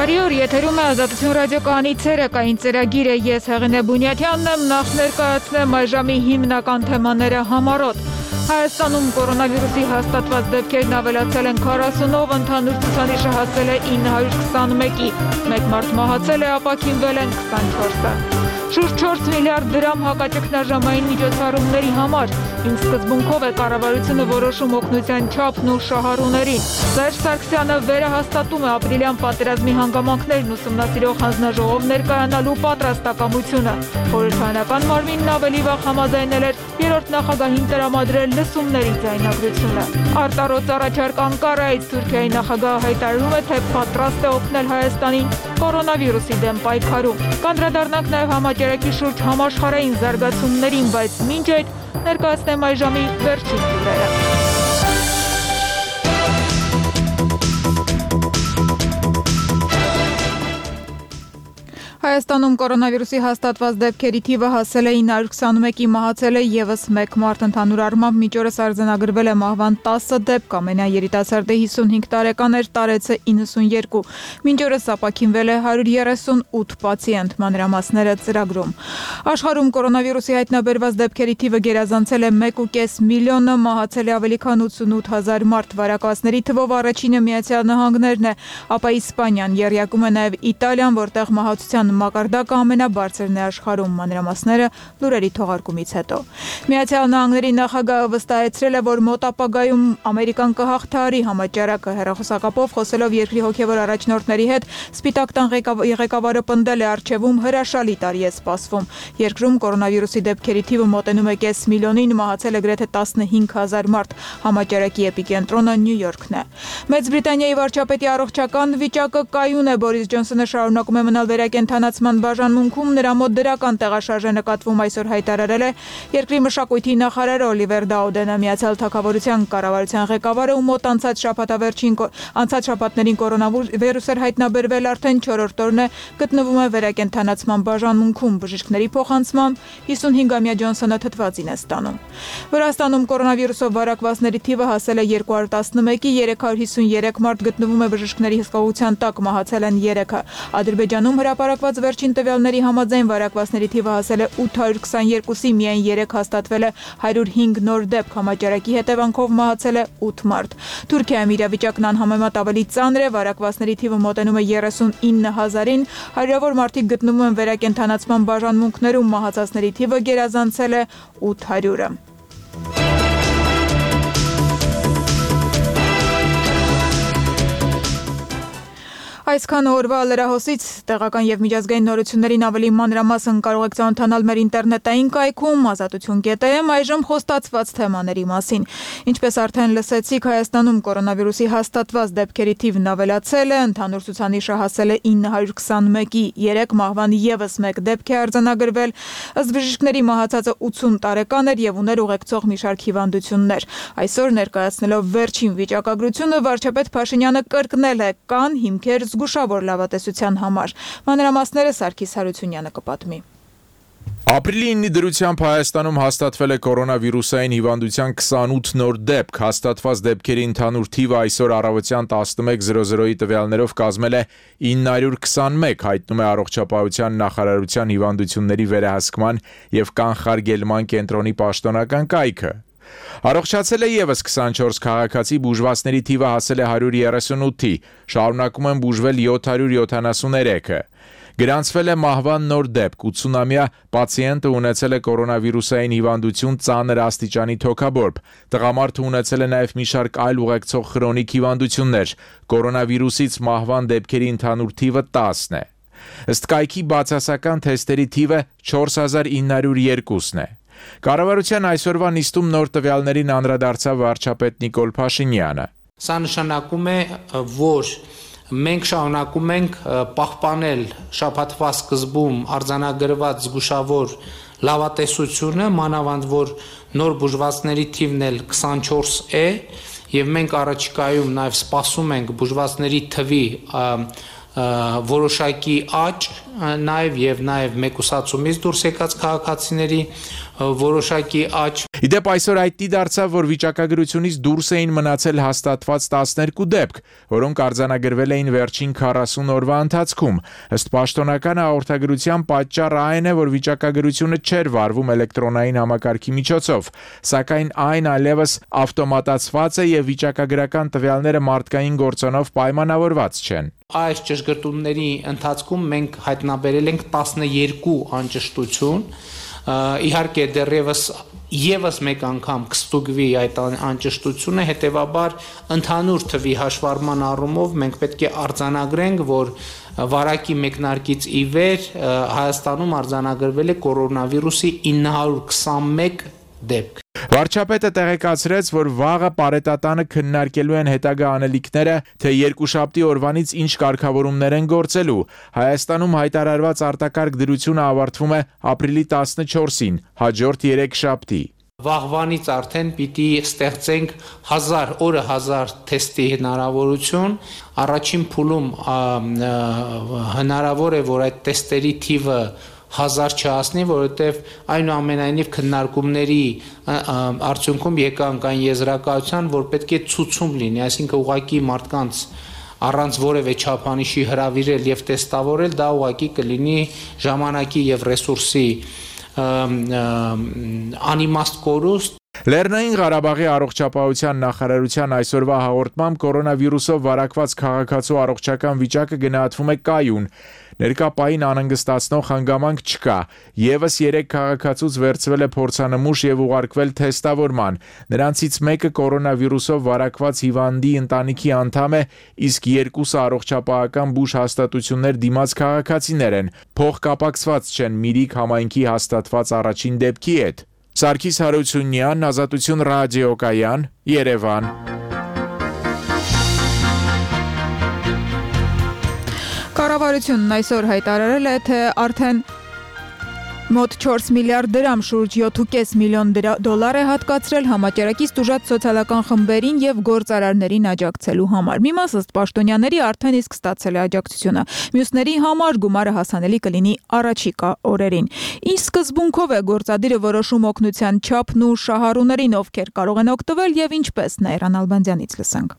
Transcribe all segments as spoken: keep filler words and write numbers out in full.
Բարի օր, եթերում է Ազատություն ռադիոկայանի ցերեկային ծրագիրը, ես Հեղինե Բունյաթյանն եմ, նախ ներկայացնեմ այժմի հիմնական թեմաները համառոտ։ Հայաստանում կորոնավիրուսի հաստատված դեպքերն ավելացել են քառասունով, ընդհանուր ցուցանիշը հասել է ինը հարյուր քսանմեկի, մեկ մարդ մահացել է, ապաքինվել են քսանչորսը։ Շուրջ չորս միլիարդ դրամ հակաճգնաժամային միջոցառումների համար, ինչ սկզբունքով է կառավարությունը որոշում օգնության չափն ու շահառուներին։ Սերժ Սարգսյանը վերահաստատում է ապրիլյան պատերազմի հանգամանքներն ուսումնասիրող հանձնաժողով ներկայանալու պատրաստակամությունը։ Խորհրդարանական մարմինն ավելի վաղ համաձայնել էր երրորդ նախագահին տրամադրել լսումների ձայնագրությունը։ Արտառոց առաջարկ Անկարայից Թուրքիայի նախագահը հայտարարում է, թե պատրաստ է օգնել Հայաստանին կորոնավիրուսի դեմ պայքարում։ Կանդրադառնանք նաև համաճարակի շուրջ համաշխարհային զարգացումներին, բայց մինչ այդ ներկայացնեմ այժմի վերջին լուրերը։ Հայաստանում կորոնավիրուսի հաստատված դեպքերի թիվը հասել է ինը հարյուր քսանմեկի, մահացել է ևս մեկ մարդ, ընդհանուր առմամբ մինչ օրս արձանագրվել է մահվան տասը դեպք, ամենայն երիտասարդը հիսունհինգ տարեկան էր, տարեցը իննսունյերկու, մինչ օրս ապաքինվել է հարյուր երեսունութ պացիենտ, մանրամասները ծրագրում։ Աշխարհում կորոնավիրուսի հայտնաբերված դեպքերի թիվը գերազանցել է մեկ ու կես միլիոնը, մահացել է ավելի քան ութսունութ հազար մարդ, վարակվածների թվով առաջինը Միացյալ Նահանգներն է, ապա Իսպանիան, եռյակում է նաև Իտալիան, որտեղ մահացության մակարդակը ամենաբարձրն է աշխարհում, մանրամասները լուրերի թողարկումից հետո։ Միացյալ Նահանգների նախագահը վստահեցրել է, որ մոտ ապագայում Ամերիկան կհաղթահարի համաճարակը, հեռախոսակապով խոսելով երկրի հոգևոր առաջնորդների հետ, Սպիտակ տան ղեկավարը պնդել է առջևում հրաշալի տարի է սպասվում։ Երկրում կորոնավիրուսի դեպքերի թիվը մոտենում է կես միլիոնին, մահացել է գրեթե տասնհինգ հազար մարդ, համաճարակի էպիկենտրոնը Նյու Յորքն է։ Մեծ Բրիտանիայի վարչապետի առողջական վիճակը կայուն է, Բորիս Ջոնսոնը շարունակում է մնալ վերակենդանացման բաժանմունքում, նրա մոտ դրական տեղաշարժ է նկատվում, այսօր հայտարարել է երկրի մշակույթի նախարար Օլիվեր Դաուդենը, Միացյալ Թագավորության կառավարության ղեկավարը, ում մոտ անցած շաբաթավերջին անցած շաբաթներին կորոնավիրուս էր հայտնաբերվել, արդեն չորրորդ օրն է գտնվում է վերակենդանացման բաժանմունքում, բժիշկների փոխանցմամբ հիսունհինգամյա Ջոնսոնը թթվածին է ստանում։ Վրաստանում կորոնավիրուսով վարակվածների թիվը հասել է երկու հարյուր տասնմեկի, երեք հարյուր հիսունյերեք մարդ գտնվում է բժիշկների հսկողության տակ, մահացել են երեքը։ Ադրբեջանում հրապարակված վերջին տվյալների համաձայն վարակվածների թիվը հասել է ութ հարյուր քսաներկուսի, միայն երեք հաստատվել է հարյուր հինգ նոր դեպք, համաճարակի հետևանքով մահացել է ութ մարդ։ Թուրքիայում իրավիճակն անհամեմատ ավելի ծանր է, վարակվածների թիվը մոտենում է երեսունինը հազարին, հարյուրավոր մարդիկ գտնվում են վերակենդանացման բաժանմունքներում, մահացածների թիվը գերազանցել է ութ հարյուրը։ Այսքան օրվա լրահոսից տեղական եւ միջազգային նորություններին ավելի մանրամասն կարող եք ծանոթանալ մեր ինտերնետային կայքում ազատություն կետ եմ, այժմ խոստացված թեմաների մասին։ Ինչպես արդեն լսեցիք, Հայաստանում կորոնավիրուսի հաստատված դեպքերի թիվն ավելացել է, ընդհանուր ցուցանիշը հասել է ինը հարյուր քսանմեկի, երեք մահվան ևս մեկ դեպք է արձանագրվել, ըստ բժիշկների մահացածը ութսուն տարեկան էր եւ ուներ ուղեկցող մի շարք հիվանդություններ։ Այսօր ներկայացնելով վերջին վիճակագրությունը, վարչապետ Փաշինյանը կրկնել է, կան հիմքեր զգուշավոր լավատեսության համար։ Մանրամասները Սարգիս Հարությունյանը կպատմի։ Ապրիլի ինի դրությամբ Հայաստանում հաստատվել է կորոնավիրուսային հիվանդության քսանութ նոր դեպք, հաստատված դեպքերի ընդհանուր թիվը այսօր առավոտյան տասնմեկ զրո զրոյի տվյալներով կազմել է ինը հարյուր քսանմեկ, հայտնում է Առողջապահության նախարարության հիվանդությունների վերահսկման եւ կանխարգելման կենտրոնի պաշտոնական կայքը։ Առողջացել է ևս քսանչորս քաղաքացի, բուժվածների թիվը հասել է հարյուր երեսունութի, շարունակում են բուժվել յոթ հարյուր յոթանասունցրի։ Գրանցվել է մահվան նոր դեպք, ութսունամյա պացիենտը ունեցել է կորոնավիրուսային հիվանդություն ծանր աստիճանի թոքաբորբ, տղամարդը ունեցել է նաև մի շարք այլ ուղեկցող խրոնիկ հիվանդություններ, կորոնավիրուսից մահվան դեպքերի ընդհանուր թիվը տասն է։ Ըստ կայքի բացասական թեստերի թիվը չորս հազար ինը հարյուր երկուսն է։ Կառավարության այսօրվա նիստում նոր տվյալներին անդրադարձավ վարչապետ Նիկոլ Փաշինյանը։ Սա նշանակում է, որ մենք շարունակում ենք պահպանել շաբաթվա սկզբում արձանագրված զգուշավոր լավատեսությունը, մանավանդ որ նոր բուժվածների թիվն էլ քսանչորս է, եւ մենք առաջիկայում նաեւ սպասում ենք բուժվածների թվի որոշակի աճ, նաև եւ նաև մեկուսացումից դուրս եկած քաղաքացիների որոշակի աճ Իդեպ այսօր հայտնի դարձավ, որ վիճակագրությունից դուրս էին մնացել հաստատված տասներկու դեպք, որոնք արձանագրվել էին վերջին քառասուն օրվա ընթացքում։ Ըստ պաշտոնական հաղորդագրության պատճառը այն է, որ վիճակագրությունը չէր վարվում էլեկտրոնային համակարգի միջոցով, սակայն այն այլևս ավտոմատացված է եւ վիճակագրական տվյալները մարդկային գործոնով պայմանավորված չեն։ Այս ճշգրտումների ընթացքում մենք հայտնաբերել ենք տասներկու անճշտություն, իհարկե դեռևս Եվս մեկ անգամ կստուգվի այդ անճշտությունը, հետևաբար ընդհանուր թվի հաշվառման առումով մենք պետք է արձանագրենք, որ վարակի մեկնարկից ի վեր Հայաստանում արձանագրվել է կորոնավիրուսի ինը հարյուր քսանմեկ դեպք։ Վարչապետը տեղեկացրեց, որ վաղը պարետատանը քննարկելու են հետագա անելիքները, թե երկուշաբթի օրվանից ինչ կարգավորումներ են գործելու։ Հայաստանում հայտարարված արտակարգ դրությունը ավարտվում է ապրիլի տասնչորսին, հաջորդ երեքշաբթի։ Վաղվանից արդեն պիտի ստեղծենք հազար օրը հազար թեստի հնարավորություն։ Առաջին փուլում հնարավոր է, որ այդ թեստերի թիվը հազար չհասնի, որովհետև այնուամենայնիվ քննարկումների արդյունքում եկանք այն եզրակացության, որ պետք է ցուցում լինի, այսինքն ուղղակի մարդկանց առանց որևէ չափանիշի հրավիրել եւ տեստավորել, դա ուղղակի կլինի ժամանակի եւ ռեսուրսի անիմաստ կորուստ։ Լեռնային Ղարաբաղի առողջապահության նախարարության այսօրվա հաղորդմամբ կորոնավիրուսով վարակված քաղաքացու առողջական վիճակը գնահատվում է կայուն։ Ներկա պահին անհանգստացնող հանգամանք չկա։ Եվս երեք քաղաքացուց վերցվել է փորձանմուշ եւ ուղարկվել թեստավորման։ Նրանցից մեկը կորոնավիրուսով վարակված հիվանդի ընտանիքի անդամ է, իսկ երկուսը առողջապահական բուժ հաստատություններ դիմաց քաղաքացիներ են։ Փոխկապակցված չեն Միրիկ համայնքի հաստատված առաջին դեպքի հետ։ Սարգիս Հարությունյան, Ազատություն ռադիոկայան, Երևան։ Կառավարությունն այսօր հայտարարել է, թե արդեն մոտ չորս միլիարդ դրամ, շուրջ յոթ կόμμα պենս միլիոն դոլար է հատկացրել համաճարակից տուժած սոցիալական խմբերին եւ գործարարներին աջակցելու համար։ Մի մաս ըստ պաշտոնյաների արդեն իսկ ստացել է աջակցությունը։ Մյուսների համար գումարը հասանելի կլինի առաջիկա օրերին։ Ինչ սկզբունքով է գործադիրը որոշում օգնության չափն ու շահառուներին, ովքեր կարող են օգտվել եւ ինչպես Նաիրան Ալբանդյանից լսենք։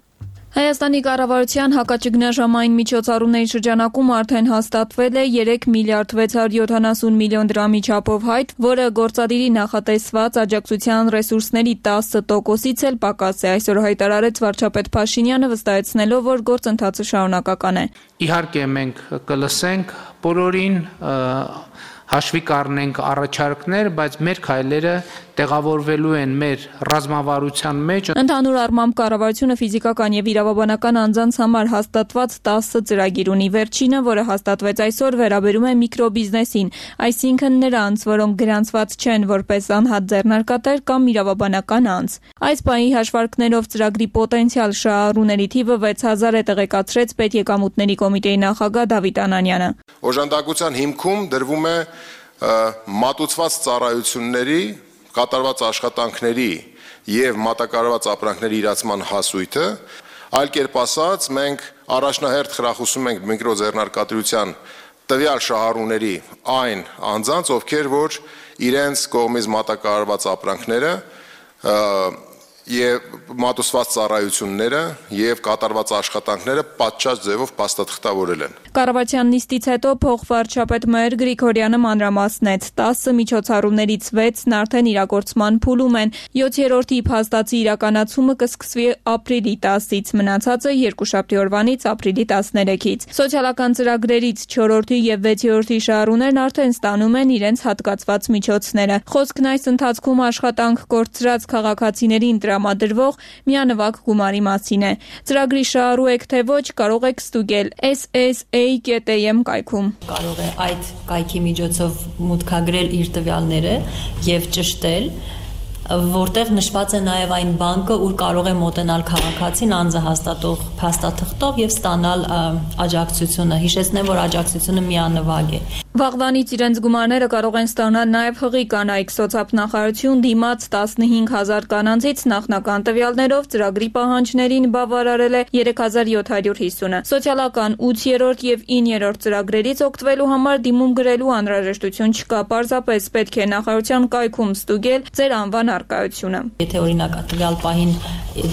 Հայաստանի կառավարության հակաճգնաժամային միջոցառումների շրջանակում արդեն հաստատվել է երեք միլիարդ վեց հարյուր յոթանասուն միլիոն դրամի չափով հայտ, որը գործադիրի նախատեսված աջակցության ռեսուրսների տասը տոկոսից էլ պակաս է, այսօր հայտարարեց վարչապետ Փաշինյանը, վստահեցնելով, որ գործընթացը շարունակական է։ Իհարկե մենք կլսենք բոլորին, հաշվի կառնենք առաջարկներ, բայց մեր քայլերը տեղավորվելու են մեր ռազմավարության մեջ։ Ընդհանուր առմամբ կառավարությունը ֆիզիկական եւ իրավաբանական անձանց համար հաստատված տասը ծրագիր ունի։ Վերջինը, որը հաստատվեց այսօր, վերաբերում է միկրոբիզնեսին, այսինքն նրանց, որոնք գրանցված չեն որպես անհատ ձեռնարկատեր կամ իրավաբանական անձ։ Այս պահի հաշվարկներով ծրագրի պոտենցիալ շահառուների թիվը վեց հազար է, տեղեկացրեց Պետեկամուտների կոմիտեի նախագահ Դավիթ Անանյանը։ Օժանդակության հիմքում դրվում է մատուցված ծառայությունների, կատարված աշխատանքների եւ մատակարարված ապրանքների իրացման հասույթը, այլ կերպ ասած, մենք առաջնահերթ խրախուսում ենք միկրոձեռնարկատիրության տվյալ շահառուների այն անձանց, ովքեր որ իրենց կողմից մատակարարված ապրանքները եւ մատուցված ծառայությունները եւ կատարված աշխատանքները պատշաճ ձևով փաստաթղթավորել են։ Կառավարության նիստից հետո փոխվարչապետ Մհեր Գրիգորյանը մանրամասնեց, տասը միջոցառումներից վեցն արդեն իրագործման փուլում են, յոթերորդի փաստացի իրականացումը կսկսվի ապրիլի տասից, մնացածը երկուշաբթի օրվանից ապրիլի տասներեքից։ Սոցիալական ծրագրերից չորրորդի եւ վեցերորդի շահառուներն արդեն ստանում են իրենց հատկացված միջոցները։ Խոսքն այս ընթացքում աշխատանք կորցրած քաղաքացիներին տրամադրվող միանվագ գումարի մասին է։ Ծրագրի շահառու եք թե ոչ, կարող եք ստուգել S S A dot A M կայքում։ Կարող է այդ կայքի միջոցով մուտքագրել իր տվյալները եւ ճշտել, որտեղ նշված է նաև այն բանկը, ուր կարող է մոտենալ քաղաքացին անձը հաստատող փաստաթղթով եւ ստանալ աջակցությունը։ Հիշեցնեմ, որ աջակցությունը միանվագ է։ Վաղվանից իրենց գումարները կարող են ստանալ նաև հղի կանայք։ Սոցիալնախարարություն դիմաց տասնհինգ հազար կանանցից նախնական տվյալներով ծրագրի պահանջներին բավարարել է երեք հազար յոթ հարյուր հիսունը։ Սոցիալական ութերորդ եւ իններորդ ծրագրերից օգտվելու համար դիմում գրելու անհրաժեշտություն չկա։ Պարզապես պետք է նախարարության կայքում ստուգել ձեր անվան առկայությունը։ Եթե օրինակ տվյալ պահին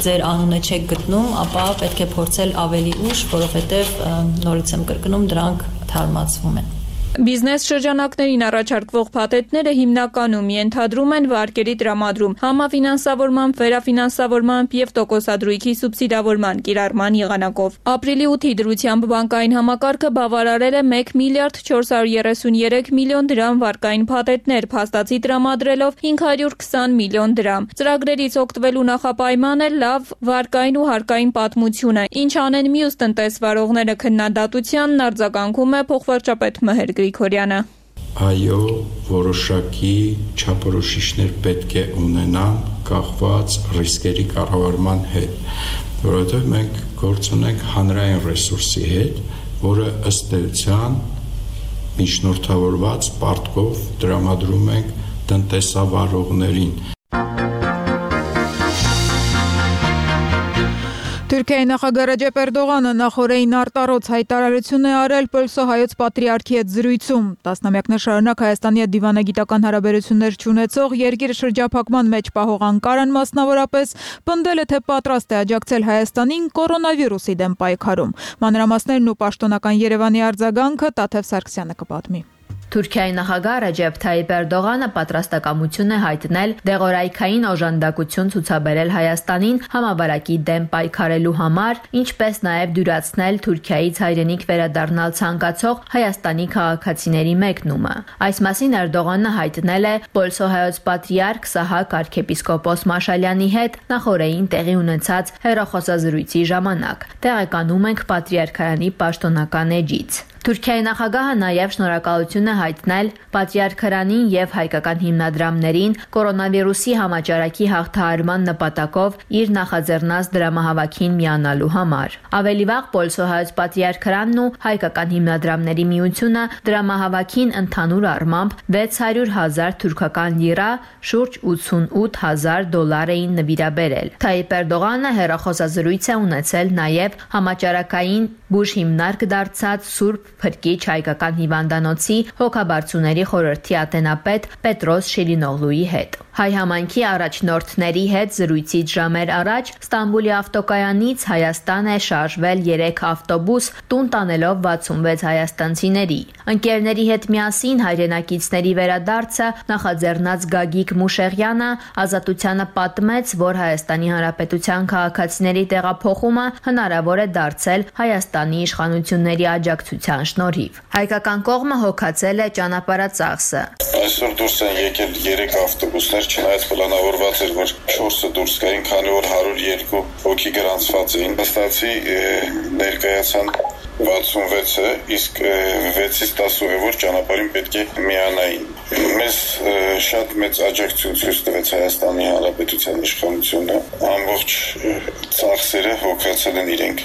ձեր անունը չեք գտնում, ապա պետք է փորձել ավելի ուշ, որովհետև նորից եմ կրկնում, դրանք թարմացվում են։ Բիզնես շրջանակներին առաջարկվող փաթեթները հիմնականում ենթադրում են վարկերի տրամադրում, համաֆինանսավորման, վերաֆինանսավորման եւ տոկոսադրույքի սուբսիդավորման կիրառման եղանակով։ Ապրիլի ութի դրությամբ բանկային համակարգը բավարարել է մեկ միլիարդ չորս հարյուր երեսունյերեք միլիոն դրամ վարկային փաթեթներ, փաստացի տրամադրելով հինգ հարյուր քսան միլիոն դրամ։ Ծրագրերից օգտվելու նախապայման է լավ վարկային ու հարկային պատմությունը, ինչ անեն մյուս տնտեսվարողները քննադատությանն արձագանքում է փոխվարչապետ Մհեր Գրիգորյանը։ Այո, որոշակի չափորոշիչներ պետք է ունենան կախված ռիսկերի կառավարման հետ, որովհետև մենք գործ ունենք հանրային ռեսուրսի հետ, որը ըստ էության միջնորդավորված պարտքով տրամադրում ենք տնտեսավարողներին։ Թուրքիայի նախագահ Ռեջեփ Էրդողանը նախօրեին արտառոց հայտարարություն է արել Պոլսո հայոց պատրիարքի հետ զրույցում։ Տասնամյակներ շարունակ Հայաստանի հետ դիվանագիտական հարաբերություններ չունեցող երկիրը շրջափակման մեջ պահող Անկարան մասնավորապես պնդել է, թե պատրաստ է աջակցել Հայաստանին կորոնավիրուսի դեմ պայքարում։ Մանրամասներն ու պաշտոնական Երևանի արձագանքը Տաթև Սարգսյանը կպատմի։ Թուրքիայի նախագահ Ռեջեփ Թայիպ Էրդողանը պատրաստակամություն է հայտնել դեղորայքային օժանդակություն ցուցաբերել Հայաստանին համավարակի դեմ պայքարելու համար, ինչպես նաև դյուրացնել Թուրքիայից հայրենիք վերադառնալ ցանկացող Հայաստանի քաղաքացիների մեկնումը։ Այս մասին Էրդողանը հայտնել է Պոլսո հայոց պատրիարք Սահակ arczepiskopos Մաշալյանի հետ նախօրեին տեղի ունեցած հեռախոսազրույցի ժամանակ։ Տեղեկանում ենք պատրիարքարանի պաշտոնական էջից։ Թուրքիայի նախագահը նաև շնորհակալություն է հայտնել պատրիարքարանին եւ հայկական հիմնադրամներին կորոնավիրուսի համաճարակի հաղթահարման նպատակով իր նախաձեռնած դրամահավաքին միանալու համար։ Ավելի վաղ Պոլսո հայոց պատրիարքարանն ու հայկական հիմնադրամների միությունը դրամահավաքին ընդհանուր առմամբ վեց հարյուր հազար թուրքական լիրա, շուրջ ութսունութ հազար դոլար էին նվիրաբերել։ Թայիպ Էրդողանը հեռախոսազրույց է ունեցել նաև համաճարակային բուժ հիմնարկ դարձած Սուրբ Փրկիչ հայկական հիվանդանոցի հոգաբարձուների խորհրդի ատենապետ Պետրոս Շիրինօղլուի հետ։ Հայ համայնքի առաջնորդների հետ զրույցից ժամեր առաջ Ստամբուլի ավտոկայանից Հայաստան է շարժվել երեք ավտոբուս, տուն տանելով վաթսունվեց հայաստանցիների։ Ընկերների հետ միասին հայրենակիցների վերադարձը նախաձեռնած Գագիկ Մուշեղյանը Ազատությանը պատմեց, որ Հայաստանի Հանրապետության քաղաքացիների տեղափոխումը հնարավոր է դարձել Հայաստանի իշխանությունների աջակցության շնորհիվ։ Հայկական կողմը հոգացել է ճանապարհածախսը։ Այսօր դուրս են եկել երեք ավտոբուսներ, չնայած պլանավորված էր, որ չորսը դուրս գային, քանի որ հարյուր երկու հոգի գրանցված էին։ Վստահեցի ներկայացան վաթսունվեցը, իսկ վեցից տասուհևոր ճանապարհին պետք է միանային։ Մեզ շատ մեծ աջակցություն ցույց տվեց Հայաստանի Հանրապետության իշխանությունը, ամբողջ ծախսերը հոգացել են իրենք,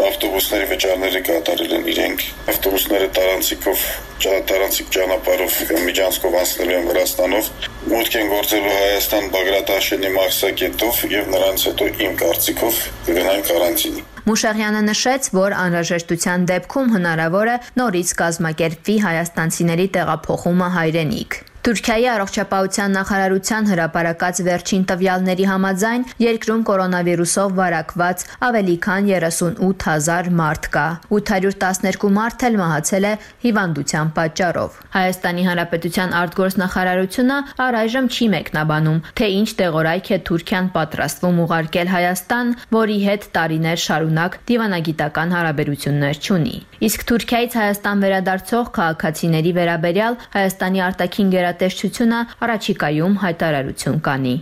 ավտոբուսների վճարները կատարել են իրենք, ավտոբուսները տարանցիկով, տարանցիկ ճանապարհով միջանցքով անցնելու են Վրաստանով, մուտք են գործելու Հայաստան Բագրատ Աշենի մաքսակետով եւ նրանց հետո իմ կարծիքով կգնան կարանտինի։ Մուշեղյանը նշեց, որ անհրաժեշտության դեպքում հնարավոր է նորից կազմակերպվի հայաստանցիների տեղափոխումը հայրենիք։ Թուրքիայի առողջապահության նախարարության հրապարակած վերջին տվյալների համաձայն երկրում կորոնավիրուսով վարակված ավելի քան երեսունութ հազար մարդ կա։ ութ հարյուր տասներկու մարդ էլ մահացել է հիվանդության պատճառով։ Հայաստանի Հանրապետության արտգործնախարարությունը առայժմ չի մեկնաբանում, թե ինչ տեղորայք է Թուրքիան պատրաստվում ուղարկել Հայաստան, որի հետ տարիներ շարունակ դիվանագիտական հարաբերություններ չունի։ Իսկ Թուրքիայից Հայաստան վերադարձող քաղաքացիների վերաբերյալ Հայաստանի արտաքին գերատեսչությունը առաջիկայում հայտարարություն կանի։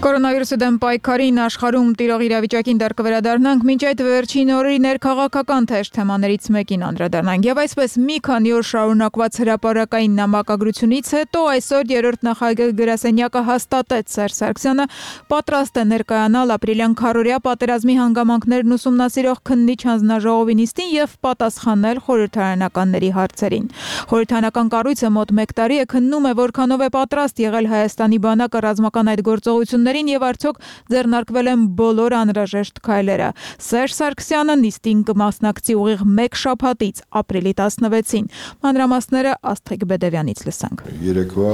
Կորոնավիրուսի դեմ պայքարին աշխարհում տիրող իրավիճակին դեռ կվերադառնանք, մինչ այդ վերջին օրերի ներքաղաքական թեժ թեմաներից մեկին անդրադառնանք։ Եվ այսպես մի քանի օր շարունակված հրապարակային նամակագրությունից հետո այսօր երրորդ նախագահ գրասենյակը հաստատեց Սերժ Սարգսյանը պատրաստ է ներկայանալ ապրիլյան քառօրյա պատերազմի հանգամանքներն ուսումնասիրող քննիչ հանձնաժողովի նիստին եւ պատասխանել խորհրդարանականների հարցերին։ Խորհրդարանական կառույցը մոտ մեկ տարի է քննում է, որքանով է պատրաստ եղել Հայաստանի բանակը ռազմական այդ գործողությունների եւ արդյոք ձեռնարկվել են բոլոր անհրաժեշտ քայլերը։ Սերժ Սարգսյանը նիստին կմասնակցի ուղիղ մեկ շաբաթից ապրիլի տասնվեցին։ Մանրամասները Աստղիկ Բեդևյանից լսանք։ Երեկվա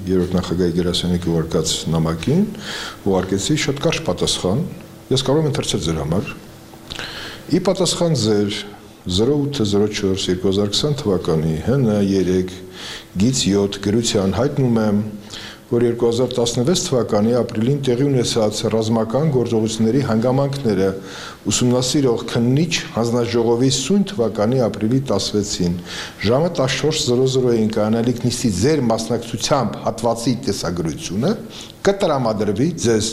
երրորդ նախագահի Գերասենյակի ուղարկած նամակին, ուղարկեցի շատ կարճ պատասխան, ես կարող եմ ընթերցել ձեր համար։ Ի պատասխան ձեր zero eight zero four two thousand twenty թվականի Հ Ն երեք գիծ յոթ գրության հայտնում եմ, որ երկու հազար տասնվեց թվականի ապրիլին տեղի ունեցած ռազմական գործողությունների հանգամանքները ուսումնասիրող քննիչ հանձնաժողովի սույն թվականի ապրիլի տասնվեցին ժամը տասնչորս զրո զրոյին կանալիք նիստի ձեր մասնակցությամբ հատվածի տեսագրությունը կտրամադրվի ձեզ,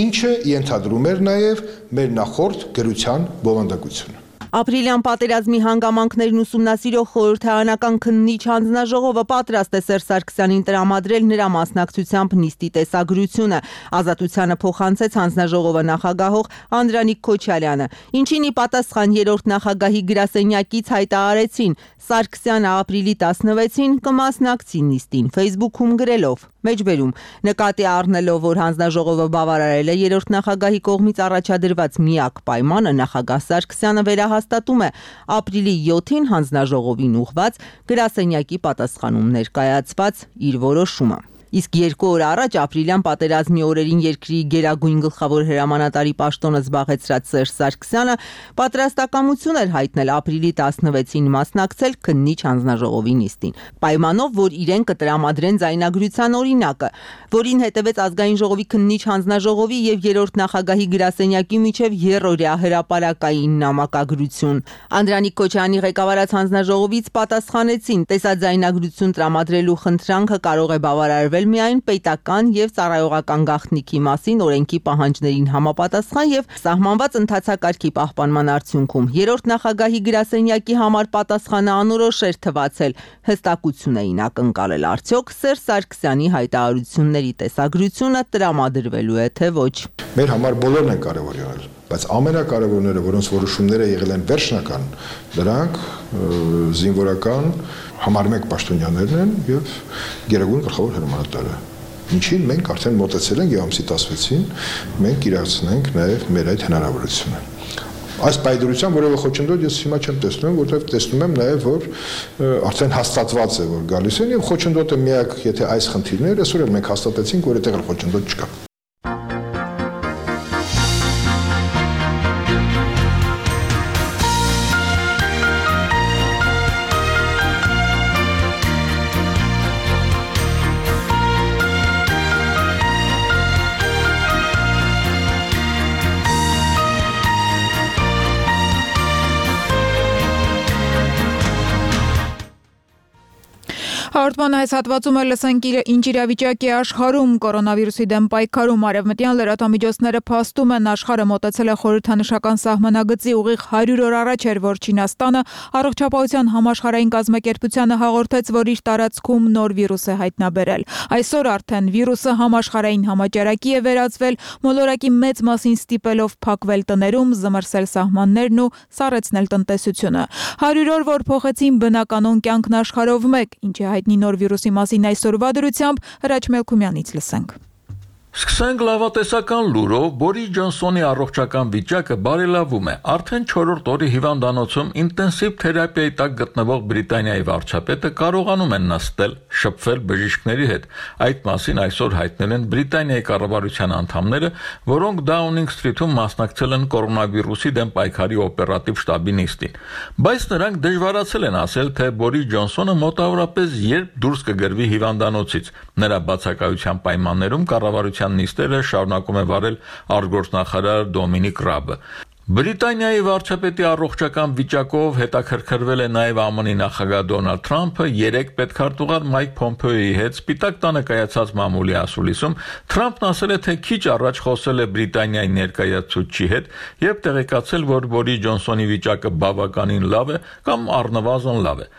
ինչը ենթադրում էր նաև մեր նախորդ գրության բովանդակությունը։ Ապրիլյան պատերազմի հանգամանքներն ուսումնասիրող խորհրդարանական քննիչ հանձնաժողովը պատրաստ է Սերժ Սարգսյանին տրամադրել նրա մասնակցությամբ նիստի տեսագրությունը։ Ազատությանը փոխանցեց հանձնաժողովը նախագահող Անդրանիկ Քոչարյանը, ինչին ի պատասխան երրորդ նախագահի գրասենյակից հայտարարեցին Սարգսյանը ապրիլի տասնվեցին կմասնակցի նիստին Facebook-ում գրելով. Մեջբերում նկատի առնելով, որ հանձնաժողովը բավարարել է երրորդ նախագահի կողմից առաջադրված միակ պայմանը, նախագահ Սարգսյանը վերահաստատում է ապրիլի յոթին հանձնաժողովին ուղղված գրասենյակի պատասխանում ներկայացված իր որոշումը։ Իսկ երկու օր առաջ ապրիլյան պատերազմի օրերին երկրի գերագույն գլխավոր հրամանատարի պաշտոնը զբաղեցրած Սերժ Սարգսյանը պատրաստակամություն էր հայտնել ապրիլի տասնվեցին մասնակցել քննիչ հանձնաժողովի նիստին, պայմանով, որ իրեն կտրամադրեն ձայնագրության օրինակը, որին հետևեց ազգային ժողովի քննիչ հանձնաժողովի եւ երրորդ նախագահի գրասենյակի միջև եռօրյա հրապարակային նամակագրություն։ Անդրանիկ Քոչարյանի ղեկավարած հանձնաժողովից պատասխանեցին, տեսաձայնագրություն տրամադրելու խնդրանքը կարող է բավարարվել միայն պետական եւ ծառայողական գաղտնիքի մասին օրենքի պահանջներին համապատասխան եւ սահմանված ընթացակարգի պահպանման արդյունքում երրորդ նախագահի գրասենյակի համար պատասխանը անորոշ էր թվացել, հստակություն էին ակնկալել արդյոք Սերժ Սարգսյանի հայտարարությունների տեսագրությունը տրամադրվելու է թե ոչ։ Մեր համար բոլորն են կարևոր եղել, բայց ամենակարևորները, որոնց որոշումները եղել են վերջնական, դրանք զինվորական համար մեկ պաշտոնյաներն են եւ գերագույն գլխավոր հրամանատարը։ Ինչին մենք արդեն մոտեցել ենք եւ ամսի տասնվեցին մենք իրացնենք նաեւ մեր այդ հնարավորությունը։ Այս պայդրության որևէ խոչընդոտ ես հիմա չեմ տեսնում, որովհետեւ տեսնում եմ նաեւ որ արդեն հաստատված է որ գալիս են եւ խոչընդոտը միակ, եթե այս խնդիրները այսօր էլ մենք հաստատեցինք, որ այդտեղ խոչընդոտ չկա։ Հաղորդման այս հատվածում էլ լսենք ինչ իրավիճակ է աշխարհում կորոնավիրուսի դեմ պայքարում արևմտյան լրատվամիջոցները փաստում են աշխարհը մոտեցել է խորհրդանշական սահմանագծի ուղիղ հարյուր օր առաջ էր, որ Չինաստանը առողջապահության համաշխարհային կազմակերպությանը հաղորդեց, որ իր տարածքում նոր վիրուս է հայտնաբերել։ Այսօր արդեն վիրուսը համաշխարհային համաճարակի է վերածվել, մոլորակի մեծ մասին ստիպելով փակվել տներում, զմռսել սահմաններն ու սառեցնել տնտեսությունը։ հարյուր օր, որ փոխեցին բնականոն կյանքն աշխարհով մեկ, ինչ է հայտնի նոր վիրուսի մասին այսօրվա դրությամբ Հրաչ Մելքումյանից լսենք։ Սկսենք լավատեսական լուրով, Բորիս Ջոնսոնի առողջական վիճակը բարելավում է։ Արդեն չորրորդ օրի հիվանդանոցում ինտենսիվ թերապիայի տակ գտնվող Բրիտանիայի վարչապետը կարողանում է նստել, շփվել բժիշկների հետ։ Այդ մասին այսօր հայտնել են Բրիտանիայի կառավարության անդամները, որոնք Դաունինգ Սթրիթում մասնակցել են կորոնավիրուսի դեմ պայքարի օպերատիվ շտաբի նիստին։ Բայց նրանք դժվարացել են ասել, թե Բորիս Ջոնսոնը մոտավորապես երբ դուրս կգրվի հիվանդանոցից։ Նրա բացակայության պայմաններում կառավարության նիստերը շարունակում է վարել արտգործնախարար Դոմինիկ Ռաբը։ Բրիտանիայի վարչապետի առողջական վիճակով հետաքրքրվել է նաև Ամն նախագահ Դոնալդ Թրամփը երեք պետքարտուղար Մայք Փոմպեոյի հետ Սպիտակ տանը կայացած մամուլի ասուլիսում Թրամփն ասել է, թե քիչ առաջ խոսել է Բրիտանիայի ներկայացուցչի հետ եւ տեղեկացել, որ Բորիս Ջոնսոնի վիճակը բավականին լավ է կամ առնվազն լավ է։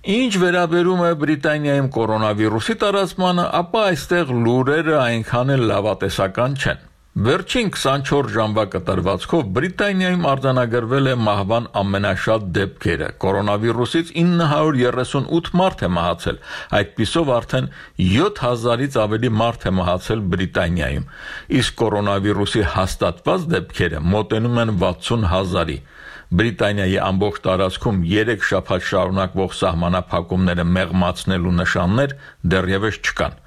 Ինչ վերաբերում է Բրիտանիայում կորոնավիրուսի տարածմանը, ապա այստեղ լուրերը այնքան էլ լավատեսական չեն։ Վերջին քսանչորս ժամվա կտրվածքով Բրիտանիայում արձանագրվել է մահվան ամենաշատ դեպքերը։ Կորոնավիրուսից ինը հարյուր երեսունութ մարդ է մահացել, այդպիսով արդեն յոթ հազարից ավելի մարդ է մահացել Բրիտանիայում, իսկ կորոնավիրուսի հաստատված դեպքերը մոտենում են վաթսուն հազարի։ Բրիտանիայի ամբողջ տարածքում երեք շաբաթ շարունակվող սահմանափակումները մեղմացնելու նշաններ դեռևս չկան։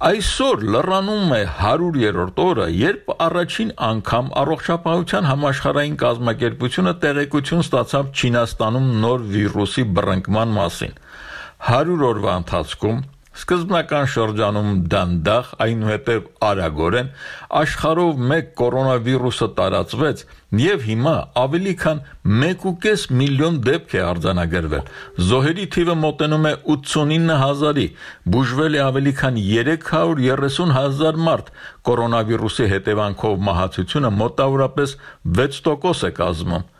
Այսօր լրանում է հարյուրերորդ օրը, երբ առաջին անգամ առողջապահության համաշխարհային կազմակերպությունը տեղեկություն ստացավ Չինաստանում նոր վիրուսի բռնկման մասին։ հարյուր օրվա ընթացքում սկզբնական շրջանում դանդաղ, այնուհետև արագորեն աշխարհով մեկ կորոնավիրուսը տարածվեց եւ հիմա ավելի քան մեկ ու կես միլիոն դեպք է արձանագրվել։ Զոհերի թիվը մոտենում է ութսունինը հազարի, բուժվել է ավելի քան երեք հարյուր երեսուն հազար մարդ, կորոնավիրուսի հետևանքով մահացությունը մոտավորապես վեց տոկոս է կազմում։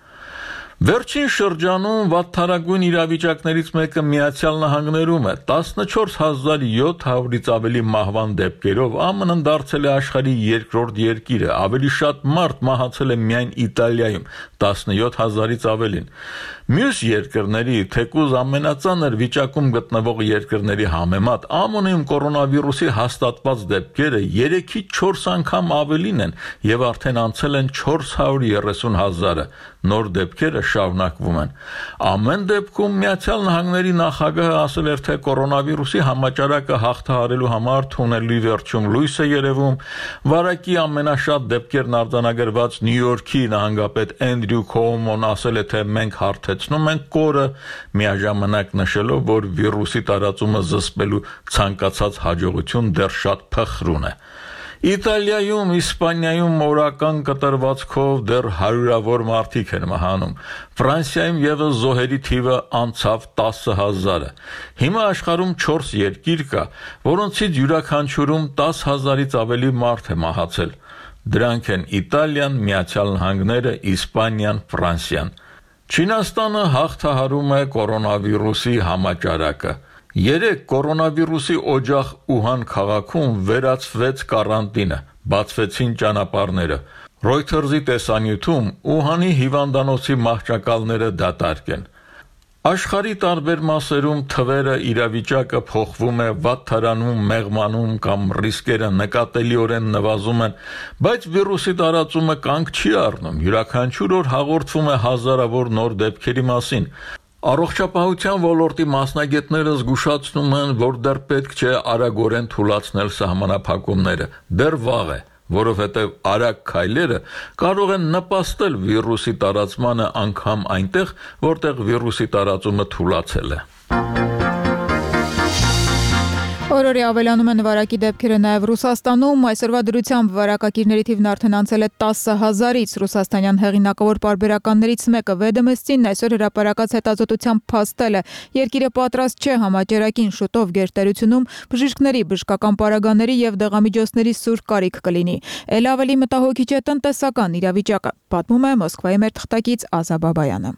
Վերջին շրջանում վատթարագույն իրավիճակներից մեկը Միացյալ Նահանգներում է, տասնչորս հազար յոթ հարյուրից ավելի մահվան դեպքերով ԱՄՆ-ն դարձել է աշխարհի երկրորդ երկիրը, ավելի շատ մարդ մահացել է միայն Իտալիայում, տասնյոթ հազարից ավելին։ Մյուս երկրների, թեկուզ ամենածանր վիճակում գտնվող երկրների համեմատ ԱՄՆ-ում կորոնավիրուսի հաստատված դեպքերը երեքից չորս անգամ ավելին են եւ արդեն անցել են չորս հարյուր երեսուն հազարը։ Նոր դեպքերը շարունակվում են։ Ամեն դեպքում Միացյալ Նահանգների նախագահը ասել էր, թե կորոնավիրուսի համաճարակը հաղթահարելու համար թունելի վերջում լույս է երևում։ Վարակի ամենաշատ դեպքերն արձանագրված Նյու Յորքի նահանգապետ Էնդրյու Քոումոն ասել է, թե մենք հարթեցնում ենք կորը, միաժամանակ նշելով, որ վիրուսի տարածումը զսպելու ցանկացած հաջողություն դեռ շատ փխրուն է։ Իտալիայում, Իսպանիայում օրական կտրվածքով դեռ հարյուրավոր մարդիկ են մահանում։ Ֆրանսիայում ևս զոհերի թիվը անցավ տասը հազարը։ Հիմա աշխարհում չորս երկիր կա, որոնցից յուրաքանչյուրում տասը հազարից ավելի մարդ է մահացել։ Դրանք են Իտալիան, Միացյալ Նահանգները, Իսպանիան, Ֆրանսիան։ Չինաստանը հաղթահարում է կորոնավիրուսի համաճարակը։ Երեք կորոնավիրուսի օջախ Ուհան քաղաքում վերացվեց կարանտինը, բացվեցին ճանապարհները։ Reuters-ի տեսանյութում Ուհանի հիվանդանոցի մահճակալները դատարկ են։ Աշխարհի տարբեր մասերում թվերը, իրավիճակը փոխվում է, վատթարանում, մեղմանում կամ ռիսկերը նկատելիորեն նվազում են, բայց վիրուսի տարածումը կանգ չի առնում։ Յուրաքանչյուր օր հաղորդվում է հազարավոր նոր դեպքերի մասին։ Առողջապահության ոլորտի մասնագետները զգուշացնում են, որ դեռ պետք չէ արագորեն թուլացնել սահմանափակումները, դեռ վաղ է, որովհետև արագ քայլերը կարող են նպաստել վիրուսի տարածմանը անգամ այնտեղ, որտեղ վիրուսի տարածումը թուլացել է։ Օրորի ավելանում են վարակի դեպքերը նաև Ռուսաստանում, այսօրվա դրությամբ վարակակիրների թիվն արդեն անցել է տասը հազարից, ռուսաստանյան հեղինակավոր պարբերականներից մեկը Վեդոմստին այսօր հրապարակած հետազոտությամբ փաստել է, երկիրը պատրաստ չէ համաճարակին, շուտով գերտերությունում բժիշկների, բժշկական պարագաների եւ դեղամիջոցների սուր կարիք կլինի։ Էլ ավելի մտահոգիչ է տնտեսական իրավիճակը, պատմում է Մոսկվայի մեր թղթակից Ազա Բաբայանը։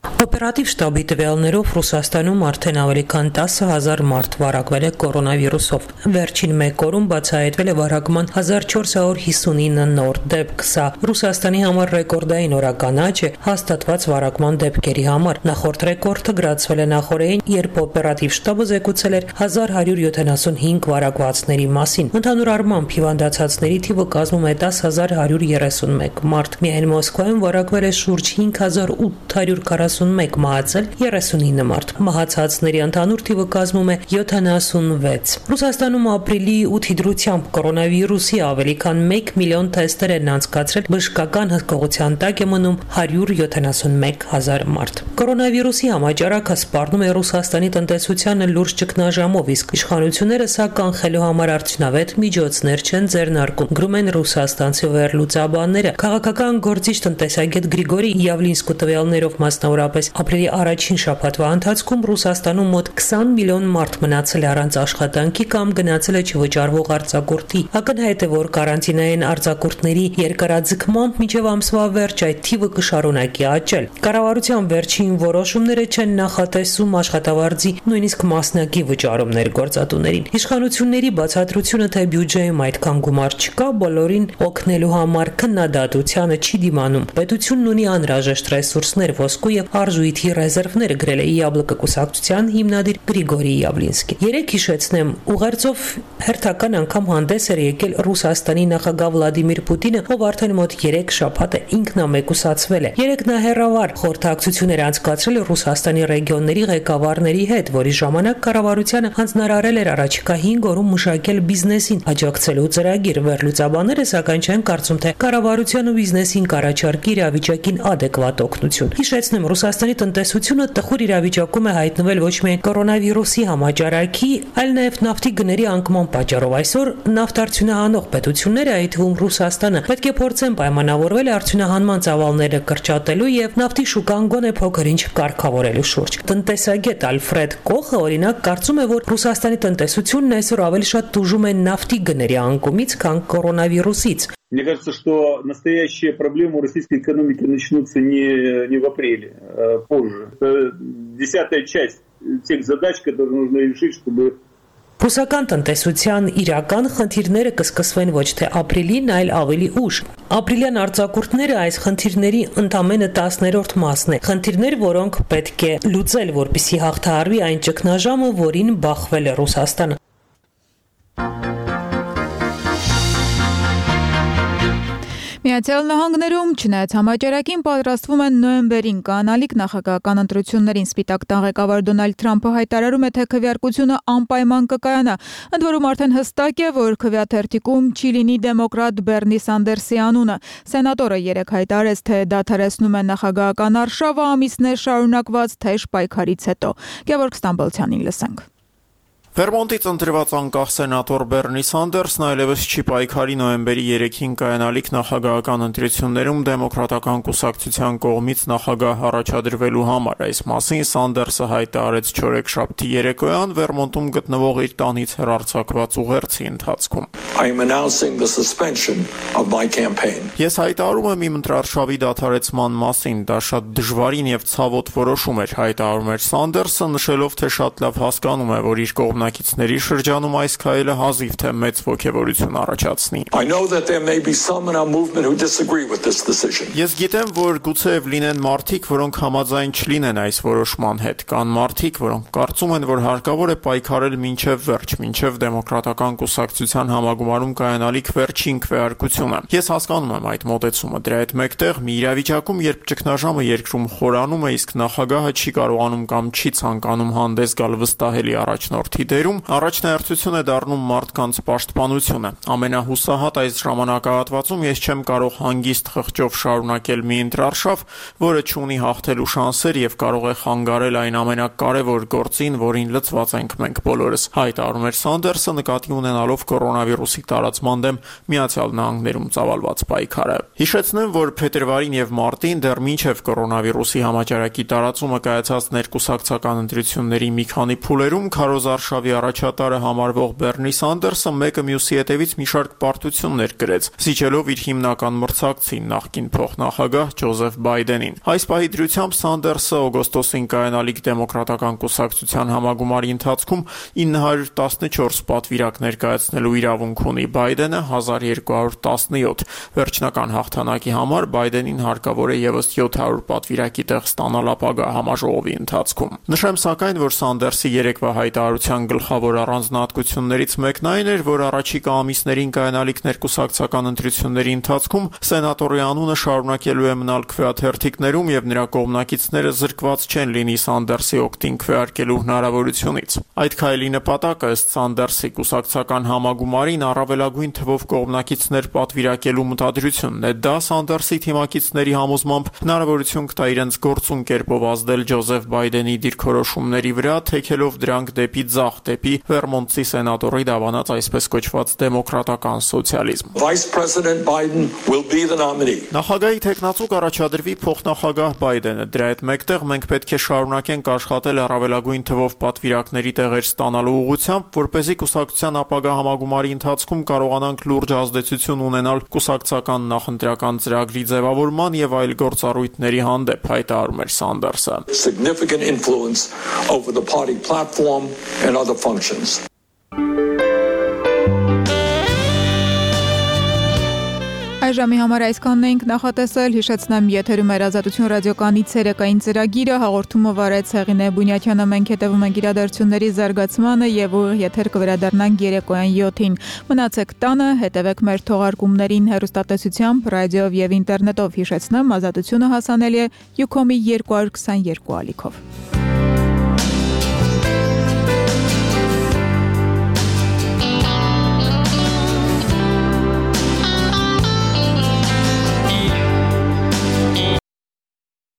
Օպերատիվ շտաբի տվյալներով Ռուսաստանում արդեն ավելի քան տասը հազար մարդ վարակվել է կորոնավիրուսով։ Վերջին մեկ օրում բացահայտվել է վարակման հազար չորս հարյուր հիսունինը նոր դեպք։ Սա Ռուսաստանի համար ռեկորդային օրականաչ է հաստատված վարակման դեպքերի համար։ Նախորդ ռեկորդը գրացվել է նախորդին, երբ օպերատիվ շտաբը զեկուցել էր հազար հարյուր յոթանասունհինգ վարակվածների մասին։ Ընդհանուր առմամբ հիվանդացածների թիվը կազմում է տասը հազար հարյուր երեսունմեկ մարդ։ Միայն Մոսկվայում վարակվել է շուրջ հինգ հազար ութ հարյուր քառասունմեկ մահացել, երեսունինը մարդ։ Մահացածների ընդհանուր թիվը կազմում է յոթանասունվեց։ Ռուսաստանում ապրիլի ութի դրությամբ կորոնավիրուսի ավելի քան մեկ միլիոն թեստեր են անցկացրել, բժշկական հսկողության տակ է մնում հարյուր յոթանասունմեկ հազար մարդ։ Կորոնավիրուսի համաճարակը սպառնում է Ռուսաստանի տնտեսությանը լուրջ ճգնաժամով, իսկ իշխանությունները սա կանխելու համար արդյունավետ միջոցներ չեն ձեռնարկում, գրում են ռուսաստանցի վերլուծաբանները։ Քաղաքական գործիչ տնտեսագետ Գրիգորի Յավլինսկու տվյալներով մասնավորապես ապրիլի առաջին շաբաթվա ընթացքում Ռուսաստանում մոտ քսան միլիոն մարդ մնացել է առանց աշխատանքի կամ գնացել է չվճարվող արձակուրդի։ Ակնհայտ է, որ կարանտինային արձակուրդների երկարաձգմամբ մինչև ամսվա վերջ այդ թիվը կշարունակի աճել։ Կառավարության վերջին որոշումները չեն նախատեսում աշխատավարձի նույնիսկ մասնակի վճարումներ գործատուներին։ Իշխանությունների բացատրությունը, թե բյուջեում այդքան գումար չկա, բոլորին օգնելու համար քննադատությանը չի դիմանում։ Պետությունն ունի անհրաժեշտ ռեսուրսներ ոսկու եւ եւ արժույթի ռեզերվները, գրել է Յաբլոկը կուսակցության հիմնադիր Գրիգորի Յավլինսկին։ Երեք հիշեցնեմ, ուղերձով հերթական անգամ հանդես էր եկել Ռուսաստանի նախագահ Վլադիմիր Պուտինը, ով արդեն մոտ երեք շաբաթ է ինքնամեկուսացվել է։ Երեք նա հերավար խորհրդակցություններ անցկացրել Ռուսաստանի ռեգիոնների ղեկավարների հետ, որի ժամանակ կառավարությանը հանձնարարել էր առաջիկա հինգ օրում մշակել բիզնեսին աջակցելու ծրագիր։ Վերլուծաբանները սակայն չեն կարծում, թե կառավարության ու բիզնեսին կառաջարկի իրավիճակին adekvat օգնություն։ Հիշեցնեմ, Ռուսաստանի տնտեսությունը տխուր իրավիճակում է հայտնվել ոչ միայն կորոնավիրուսի համաճարակի, այլ նաև նավթի գների անկման պատճառով։ Այսօր նավթարդյունահանող պետությունները, այդ թվում Ռուսաստանը, պետք է փորձեն պայմանավորվել արդյունահանման ծավալները կրճատելու եւ նավթի շուկան գոնե փոքր-ինչ կարգավորելու շուրջ։ Տնտեսագետ Ալֆրեդ Կոխը, օրինակ, կարծում է, որ Ռուսաստանի տնտեսությունն այսօր ավելի շատ տուժում է նավթի գների անկումից, քան կորոնավիրուսից։ Мне кажется, что настоящие проблемы у российской экономики начнутся не, не в апреле, а позже. Это десятая часть тех задач, которые нужно решить, чтобы... Ռուսական տնտեսության իրական խնդիրները կսկսվեն ոչ թե ապրիլին, այլ ավելի ուշ։ Ապրիլյան արձակուրդները այս խնդիրների ընդամենը տասներորդ մասն է։ Խնդիրներ, որոնք պետք է լուծել, որպեսզի հաղթահարվի այն ճգնաժամը, որին բախվել է Ռուսաստանը։ Միացյալ Նահանգներում չնայած համաճարակին պատրաստվում են նոյեմբերին կանալիք նախագահական ընտրություններին։ Սպիտակ տան ղեկավար Դոնալդ Թրամփը հայտարարում է, թե քվեարկությունը անպայման կկայանա։ Ընդ որում արդեն հստակ է, որ քվեաթերթիկում չի լինի դեմոկրատ Բերնի Սանդերսի անունը։ Սենատորը երեկ հայտարարեց, թե դադարեցնում է նախագահական արշավը ամիսներ շարունակված թեժ պայքարից հետո։ Գևորգ Ստամբոլցյանին լսենք։ Վերմոնտից ընտրված անկախ սենատոր Բերնի Սանդերսն այլևս չի պայքարի նոյեմբերի երեքին կայանալիք նախագահական ընտրություններում դեմոկրատական կուսակցության կողմից նախագահ առաջադրվելու համար։ Այս մասին Սանդերսը հայտարարեց չորեքշաբթի երեկոյան Վերմոնտում գտնվող իր տանից հեռարձակված ուղերձի ընթացքում։ Ես հայտարարում եմ իմ ընտրարշավի դադարեցման մասին, դա շատ դժվարին եւ ցավոտ որոշում էր, հայտարարում էր Սանդերսը, նշելով, թե շատ լավ հասկանում է, որ իր կողմնակիցների շրջանում այս քայլը հազիվ թե մեծ ոգևորություն առաջացնի։ Ես գիտեմ, որ գուցեև լինեն մարդիկ, որոնք համաձայն չլինեն այս որոշման հետ, կան մարդիկ, որոնք կարծում են, որ հարկավոր է պայքարել մինչև վերջ, մինչև դեմոկրատական կուսակցության համագումարում կայանալիք վերջին քվեարկությունը։ Ես հասկանում եմ այդ մոտեցումը, դրա հետ մեկտեղ մի իրավիճակում, երբ ճգնաժամը երկրում խորանում է, իսկ նախագահը չի կարողանում կամ չի ցանկանում հանդես գալ վստահելի առաջնորդի դերում, առաջնահերթություն է դառնում մարդկանց պաշտպանությունը։ Ամենահուսահատ այս ժամանակահատվածում ես չեմ կարող հանգիստ խղճով շարունակել մի ընտրարշավ, որը չունի հաղթելու շանսեր եւ կարող է խանգարել այն ամենակարևոր գործին, որին լծված ենք մենք բոլորս, հայտարարում էր Սանդերսը, նկատի ունենալով կորոնավիրուսի տարածման դեմ Միացյալ Նահանգներում ծավալված պայքարը։ Հիշեցնեմ, որ փետրվարին եւ մարտին դեռ մինչեւ կորոնավիրուսի համաճարակի տարածումը կայացած ներկուսակցական ընտրությունների մի քանի փուլերում քարոզարշավի առաջատարը համարվող Բերնի Սանդերսը մեկը մյուսի հետևից մի շարք պարտություններ գրեց, զիջելով իր հիմնական մրցակցին նախկին փոխնախագահ Ջոզեֆ Բայդենին։ Այս պահի դրությամբ Սանդերսը օգոստոսին կայանալիք դեմոկրատական կուսակցության համագումարի ընթացքում ինը հարյուր տասնչորս պատվիրակ ներկայացնելու իրավունք ունի, Բայդենը հազար երկու հարյուր տասնյոթ։ Վերջնական հաղթանակի համար Բայդենին հարկավոր է ևս յոթ հարյուր պատվիրակի տեղ ստանալ ապագա համաժողովի ընթացքում։ Նշեմ սակայն, որ Սանդերսի երեկվա հայտարարության գլխավոր առանձնահատկություններից մեկն այն էր, որ առաջիկա ամիսներին կայանալիք ներկուսակցական ընտրությունների ընթացքում սենատորի անունը շարունակելու է մնալ քվեաթերթիկներում եւ նրա կողմնակիցները զրկված չեն լինի Սանդերսի օգտին քվեարկելու հնարավորությունից։ Այդ քայլի նպատակը ըստ Սանդերսի կուսակցական համագումարին առավելագույն թվով կողմնակիցներ պատվիրակելու մտադրությունն է։ Դա Սանդերսի թիմակիցների համոզմամբ հնարավորություն կտա իրենց գործուն կերպով ազդել Ջոզեֆ Բայդենի դիրքորոշումների վրա, թեքելով դրանք դեպի ձախ, դեպի Վերմոնտի սենատորի դավանած այսպես կոչված դեմոկրատական սոցիալիզմ։ Նախագահի թեկնածու կառաջադրվի փոխնախագահ Բայդենը։ Դրա հետ մեկտեղ մենք պետք է շարունակենք աշխատել առավելագույն թվով պատվիրակների տեղեր ստանալու ուղղությամբ, որպեսզի կուսակցության ապագա համագումարի ընթացքում կարողանանք լուրջ ազդեցություն ունենալ կուսակցական նախընտրական ծրագրի ձևավորման եւ այլ գործառույթների հանդեպ, հայտարարում էր Սանդերսը։ Significant influence over the party platform and other functions. Այժմի համար այսքանն էինք նախատեսել, հիշեցնեմ եթերում էր Ազատություն ռադիոկայանի ցերեկային ծրագիրը, հաղորդումը վարեց Հեղինե Բունյակյանը, մենք հետևում ենք իրադարձությունների զարգացմանը եւ ուղիղ եթեր կվերադառնանք երեկոյան յոթին։ Մնացեք տանը, հետևեք մեր թողարկումներին հեռուստատեսությամբ, ռադիոյով եւ ինտերնետով, հիշեցնեմ, Ազատությունը հասանելի է Յուքոմի երկու հարյուր քսաներկու ալիքով։